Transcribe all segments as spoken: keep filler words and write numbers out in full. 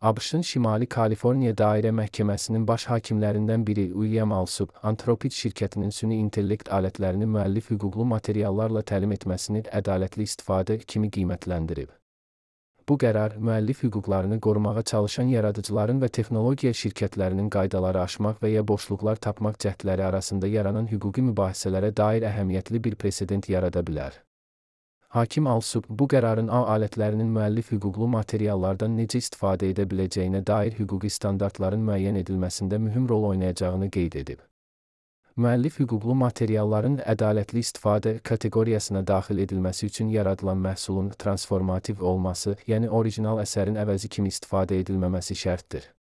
ABŞ-ın Şimali Kaliforniya Dairə Məhkəməsinin baş hakimlərindən biri William Alsup, Anthropic şirkətinin süni intellekt alətlərini müəllif hüquqlu materiallarla təlim etməsini ədalətli istifadə kimi qiymətləndirib. Bu qərar, müəllif hüquqlarını qorumağa çalışan yaradıcıların və texnologiya şirkətlərinin qaydaları aşmaq və ya boşluqlar tapmaq cəhdləri arasında yaranan hüquqi mübahisələrə dair əhəmiyyətli bir presedent yarada bilər. Hakim Alsup, bu qərarın A alətlərinin müəllif hüquqlu materiallardan necə istifadə edə biləcəyinə dair hüquqi standartların müəyyən edilməsində mühüm rol oynayacağını qeyd edib. Müəllif hüquqlu materialların ədalətli istifadə kateqoriyasına daxil edilməsi üçün yaradılan məhsulun transformativ olması, yəni orijinal əsərin əvəzi kimi istifadə edilməməsi şərtdir.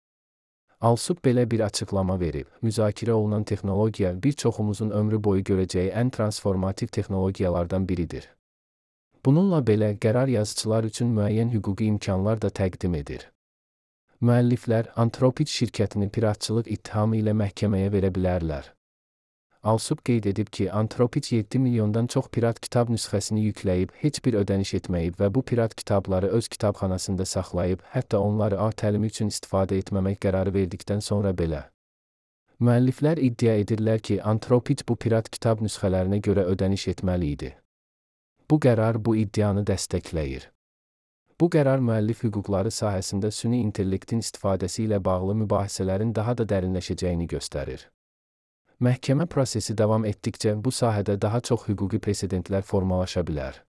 Alsup belə bir açıqlama verib. Müzakirə olunan texnologiya bir çoxumuzun ömrü boyu görəcəyi ən transformativ texnologiyalardan biridir. Bununla belə, qərar yazıçılar üçün müəyyən hüquqi imkanlar da təqdim edir. Müəlliflər, Anthropic şirkətini piratçılıq ittihamı ilə məhkəməyə verə bilərlər. Alsup qeyd edib ki, Anthropic yeddi milyondan çox pirat kitab nüsxəsini yükləyib, heç bir ödəniş etməyib və bu pirat kitabları öz kitabxanasında saxlayıb, hətta onları A təlimi üçün istifadə etməmək qərarı verdikdən sonra belə. Müəlliflər iddia edirlər ki, Anthropic bu pirat kitab nüsxələrinə görə ödəniş etməli idi. Bu qərar bu iddianı dəstəkləyir. Bu qərar müəllif hüquqları sahəsində süni intellektin istifadəsi ilə bağlı mübahisələrin daha da dərinləşəcəyini göstərir. Məhkəmə prosesi davam etdikcə bu sahədə daha çox hüquqi presedentlər formalaşa bilər.